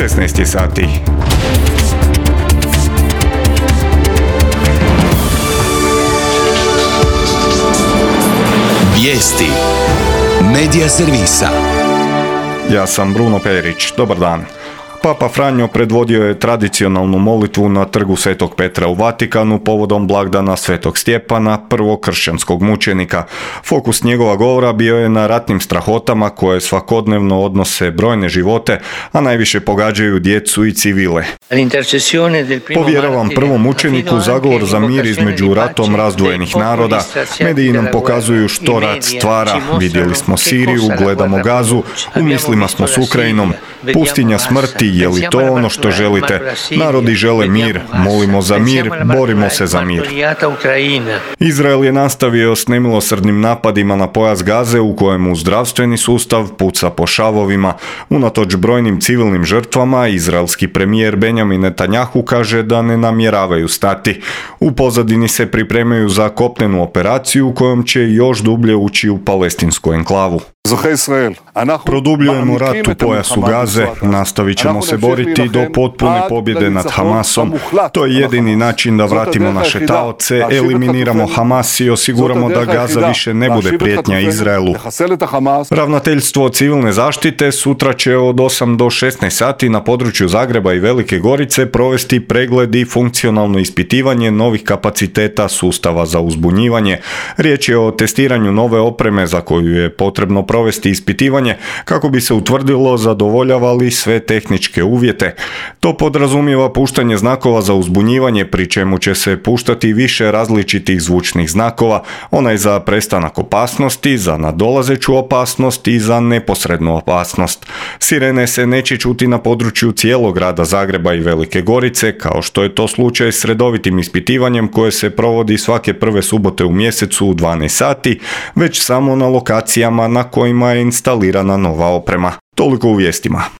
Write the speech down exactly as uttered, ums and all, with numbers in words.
šesnaest je sati. Vijesti Medija servisa. Ja sam Bruno Perić. Dobar dan. Papa Franjo predvodio je tradicionalnu molitvu na trgu Svetog Petra u Vatikanu povodom blagdana Svetog Stjepana, prvog kršćanskog mučenika. Fokus njegova govora bio je na ratnim strahotama koje svakodnevno odnose brojne živote, a najviše pogađaju djecu i civile. Povjeravam prvom mučeniku zagovor za mir između ratom razdvojenih naroda. Mediji nam pokazuju što rat stvara. Vidjeli smo Siriju, gledamo Gazu, u mislima smo s Ukrajinom. Pustinja smrti, je li to ono što želite? Narodi žele mir, molimo za mir, borimo se za mir. Izrael je nastavio s nemilosrdnim napadima na pojas Gaze u kojemu zdravstveni sustav puca po šavovima. Unatoč brojnim civilnim žrtvama, izraelski premijer Benjamin Netanjahu kaže da ne namjeravaju stati. U pozadini se pripremaju za kopnenu operaciju kojom će još dublje ući u palestinsku enklavu. Produbljujemo rat u pojasu Gaze, nastavit ćemo se boriti do potpune pobjede nad Hamasom. To je jedini način da vratimo naše taoce, eliminiramo Hamas i osiguramo da Gaza više ne bude prijetnja Izraelu. Ravnateljstvo civilne zaštite sutra će od osam do šesnaest sati na području Zagreba i Velike Gorice provesti pregled i funkcionalno ispitivanje novih kapaciteta sustava za uzbunjivanje. Riječ je o testiranju nove opreme za koju je potrebno provesti ispitivanje kako bi se utvrdilo zadovoljava li sve tehničke uvjete. To podrazumijeva puštanje znakova za uzbunjivanje, pri čemu će se puštati više različitih zvučnih znakova, onaj za prestanak opasnosti, za nadolazeću opasnost i za neposrednu opasnost. Sirene se neće čuti na području cijelog grada Zagreba i Velike Gorice, kao što je to slučaj s redovitim ispitivanjem koje se provodi svake prve subote u mjesecu u dvanaest sati, već samo na lokacijama na kojima je instalirana nova oprema. Toliko u vijestima.